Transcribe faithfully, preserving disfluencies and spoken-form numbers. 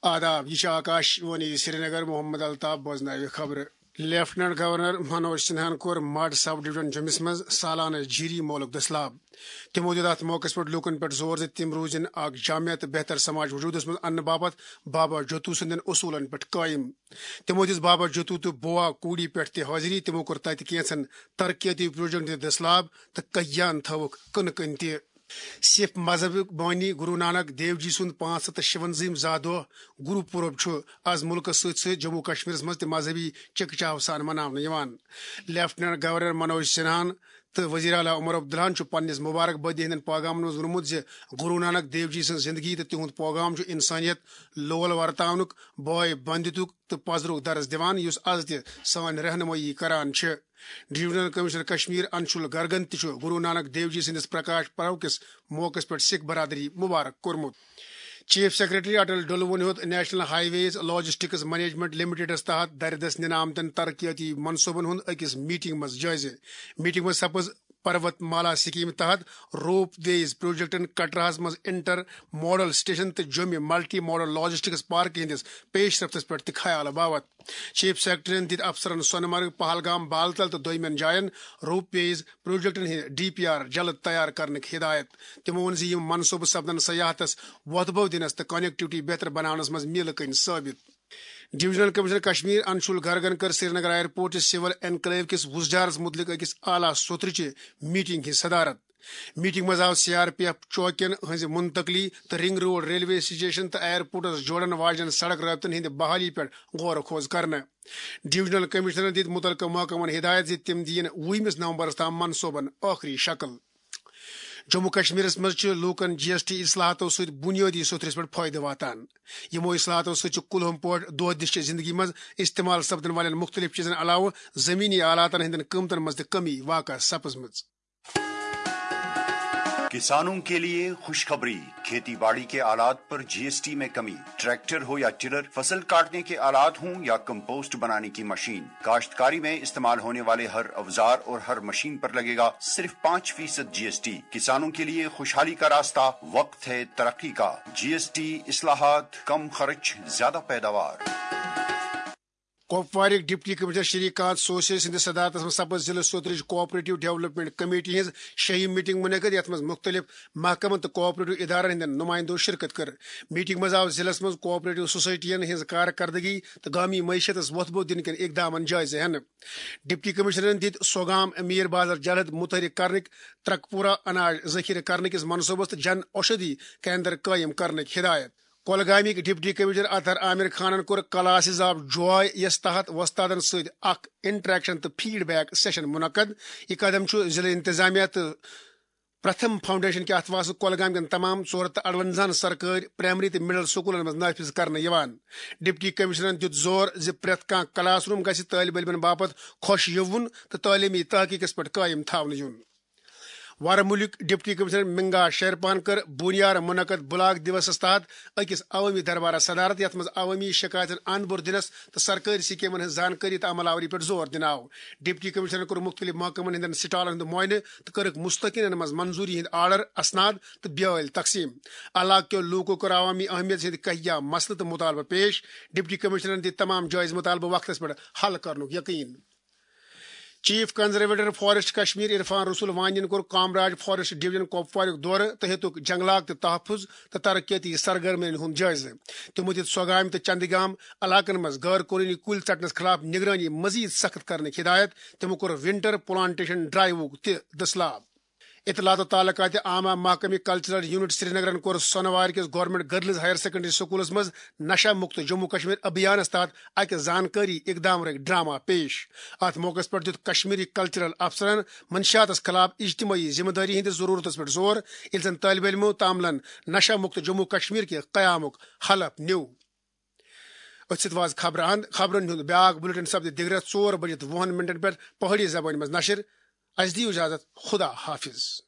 آداب، یہ چھِ آکاش وانی سرینگر۔ محمد الطاف بوزناوِ خبرٕ۔ لیفٹیننٹ گورنر منوج سنہاہن کوٚر مڈ سب ڈویژن جوٚمِس منٛز سالانہٕ جیری مولُک دٔسلاب۔ تِمو دیُت اتھ موقعس پٮ۪ٹھ لوٗکن پٮ۪ٹھ زور زِ تِم روٗزِن اکھ جامع تہٕ بہتر سماج وجوٗدس منٛز اننہٕ باپتھ بابا جوتو سٕنٛدٮ۪ن اصوٗلن پٮ۪ٹھ قٲیِم۔ تِمو دِژ بابا جوتو تہٕ بوا کوٗڈی پٮ۪ٹھ تہِ حٲضری۔ تِمو کوٚر تتہِ کینٛژن ترقیتی پروجیکٹن تہِ دٔسلاب تہٕ کٔہیان تھٲوٕکھ کٕنہٕ کٕنۍ تہِ۔ سِکھ مذہبُک بٲنی گرو نانک دیو جی سُنٛد پانٛژھ ہتھ تہٕ شُوَنزٲہِم زاہ دۄہ گرو پورب چھُ از مُلکس سۭتۍ سۭتۍ جموں کشمیرس منٛز تہِ مذہبی چکہ چاہو سان مناونہٕ یِوان۔ لیفٹیننٹ گورنر منوج سنہاہن تہٕ وزیر اعلیٰ عمر عبداللہن چھُ پننِس مبارک بٲدی ہٕنٛدٮ۪ن پیغامن منٛز ووٚنمُت زِ گرو نانک دیو جی سٕنٛز زندگی تہٕ تِہُنٛد پیغام چھُ انسانیت لول ورتاونُک، بٲے بندیتُک تہٕ پزرُک درس دِوان، یُس از تہِ سٲنۍ رہنمٲیی کران چھِ۔ ڈویژنل کمشنر کشمیر انشول گرگن تہِ چھُ گرو نانک دیو جی سٕنٛدِس پرکاش پرو کِس موقعس پٮ۪ٹھ سِکھ برادری مبارک کوٚرمُت۔ چیف سیکرٹری اٹل ڈلوُن ہیوٚت نیشنل ہائی ویز لاجسٹکس مینجمنٹ لمیٹڈس تحت دردس نِنہٕ آمتٮ۪ن ترقیتی منصوبن ہُنٛد أکِس میٹنگ منٛز جٲیزٕ۔ میٹنگ منٛز سپٕز پروت مالا سکیمہِ تحت روپ ویز پروجیکٹن کٹراہس منٛز انٹر ماڈل سٹیشن تہٕ جوٚمہِ ملٹی ماڈل لاجسٹکس پارکہِ ہٕنٛدِس پیش رفتس پٮ۪ٹھ تہِ خیال باوت۔ چیف سیکرٹریَن دِتۍ افسرن سۄنہٕ مرگ، پہلگام، بالتل تہٕ دویمٮ۪ن جاین روپ ویز پروجیکٹن ہٕنٛدۍ ڈی پی آر جلد تیار کرنٕکۍ ہدایت۔ تِمو ووٚن زِ یِم منصوبہٕ سپدن سیاحتس وۄتھٕ بو دِنس تہٕ کنیکٹیوٹی بہتر بناونس منٛز میلہٕ کٔنۍ ثٲبت۔ ڈویژنل کمشنر کشمیر انشول گرگن کٔر سرینگر ایئرپورٹ چہِ سول انکلیو کِس وُزجارس مُتعلق أکِس اعلیٰ سوٚترٕ چہِ میٹنگ ہٕنٛز صدارت۔ میٹنگ منٛز آو سی آر پی ایف چوکین ہٕنٛزِ منتقلی تہٕ رنگ روڈ ریلوے سٹیشن تہٕ ایئرپورٹس جوڑن واجٮ۪ن سڑک رٲبطن ہٕنٛدِ بحالی پٮ۪ٹھ غور و خوض کرنہٕ۔ ڈویژنل کمشنرن دِتۍ مُتعلقہٕ محکمن ہدایت زِ تِم دِیِن وُہمِس نومبرس تام منصوبن ٲخری شکل۔ جموں کشمیرس منٛز چھِ لوٗکن جی ایس ٹی اصلاحاتو سۭتۍ بُنیٲدی سوٚتھرِس پٮ۪ٹھ فٲیدٕ واتان۔ یِمو اصلاحاتو سۭتۍ چھُ کُلہُم پٲٹھۍ دۄہ دِش چہِ زندگی منٛز استعمال سپدن والٮ۪ن مُختٔلِف چیٖزن علاوٕ زٔمیٖنی آلاتن ہٕنٛدٮ۪ن قۭمتن منٛز تہِ کمی واقع سپٕزمٕژ۔ کسانوں کے لیے خوشخبری، کھیتی باڑی کے آلات پر جی ایس ٹی میں کمی، ٹریکٹر ہو یا ٹلر، فصل کاٹنے کے آلات ہوں یا کمپوسٹ بنانے کی مشین، کاشتکاری میں استعمال ہونے والے ہر اوزار اور ہر مشین پر لگے گا صرف پانچ فیصد جی ایس ٹی۔ کسانوں کے لیے خوشحالی کا راستہ، وقت ہے ترقی کا۔ جی ایس ٹی اصلاحات، کم خرچ، زیادہ پیداوار۔ کۄپوارٕکۍ ڈپٹی کمشنر شری کانت سوسے سٕنٛدِس صدارتس منٛز سپٕز ضلعہٕ سوترٕچ کوآپریٹو ڈیولپمنٹ کمیٹی ہٕنٛز شیٚیِم میٹنگ منعقد، یتھ منٛز مُختٔلِف محکمن تہٕ کوآپریٹو ادارن ہٕنٛدٮ۪ن نمایندو شرکت کٔر۔ میٹنگ منٛز آو ضلعس منٛز کوآپریٹو سوسائٹین ہٕنٛز کارکردگی تہٕ گامی معیشتس وۄتھٕ بو دِنہٕ کٮ۪ن اقدامن جٲیزٕ ہٮ۪نہٕ۔ ڈپٹی کمشنرن دِتۍ سوگام میر بازار جلد متحرک کرنٕکۍ، ترکپورہ اناج ذخیرٕ کرنہٕ کِس منصوبس تہٕ جن اوشدھی کیندر قٲیِم کرنٕکۍ ہدایت۔ کۄلگامٕکۍ ڈپٹی کمشنر اطہر عامر خانن کوٚر کلاسز آف جواے یس تحت وۄستادن سۭتۍ اکھ انٹریکشن تہٕ فیڈ بیک سیشن منعقد۔ یہِ قدم چھُ ضلع انتظامیہ تہٕ پرتھم فاؤنڈیشن کہِ اتھواسہٕ کۄلگام کٮ۪ن تمام ژور ہتھ تہٕ اڑونزاہن سرکٲرۍ پرائمری تہٕ مڈل سکولن منٛز نافذ کرنہٕ یِوان۔ ڈپٹی کمشنرن دیُت زور زِ پرٛٮ۪تھ کانٛہہ کلاس روم گژھِ طٲلب علمن باپتھ خۄش یِوُن تہٕ تعلیمی تحقیقس پٮ۪ٹھ قٲیِم تھاونہٕ یُن۔ ورمُلٕکۍ ڈپٹی کمشنر منگا شیرپان کٔر بونیار منعقد بلاک دیوسس تحت أکِس عوٲمی دربارس صدارت، یتھ منٛز عوٲمی شکایتن اند بُر دِنس تہٕ سرکٲرۍ سکیمن ہٕنٛز زانکٲری تہٕ عمل آوری پٮ۪ٹھ زور دِنہٕ آو۔ ڈپٹی کمشنرن کوٚر مختلف محکمن ہٕنٛدٮ۪ن سٹالن ہُنٛد معائنہٕ تہٕ کٔرٕکھ مستحقینن منٛز منظوری ہٕنٛدۍ آرڈر، اسناد تہٕ بیٲلۍ تقسیم۔ علاقہٕ کیو لوٗکو کوٚر عوامی اہمیت ہٕنٛدۍ کہیا مسلہٕ تہٕ مطالبہٕ پیش۔ ڈپٹی کمشنرن دِتۍ تمام جٲیز مطالبہٕ وقتس پٮ۪ٹھ حل کرنُک یقین۔ Chief conservator forest Kashmir Irfan Rasool وانین کوٚر کامراج فاریسٹ ڈویژن کۄپوارُک دورٕ تہٕ ہیٚتُکھ جنگلات تہٕ تحفظ تہٕ ترقیتی سرگرمین ہُنٛد جٲیزٕ۔ تِمو دِتۍ سۄگامہِ تہٕ چندگام علاقن منٛز غٲر قونوٗنی کُلۍ ژٹنس خلاف نگرٲنی مزید سخت کرنٕکۍ ہدایت۔ تِمو کوٚر ونٹر پلانٹیشن ڈرائیوُک تہِ دٔسلاب۔ اطلاعات و تعلقات عامہ محکمہ کلچرل یونٹ سرینگرن کوٚر سۄنوارِ کِس گورنمنٹ گرلز ہائر سیکنڈری سکولس منٛز نشہ مکت جموں کشمیر ابھیانس تحت اکہِ زانکٲری اقدامرک ڈرامہ پیش۔ اتھ موقعس پٮ۪ٹھ دیُت کشمیری کلچرل افسرن منشیاتس خلاف اجتماعی ذمہ دٲری ہٕنٛدِس ضرورتس پٮ۪ٹھ زور، ییٚلہِ زن طٲلب علمو تاملن نشہ مکت جموں کشمیر کہِ قیامُک حلف نیوٗ۔ أتھۍ سۭتۍ واژ خبرٕ اند۔ خبرن ہُنٛد بیاکھ بلیٹن سپدِ دِگرس ژور بجِتھ وُہن منٹن پٮ۪ٹھ پہٲڑی زبٲنۍ منٛز نشر۔ اسہِ دِیِو اجازت، خدا حافظ۔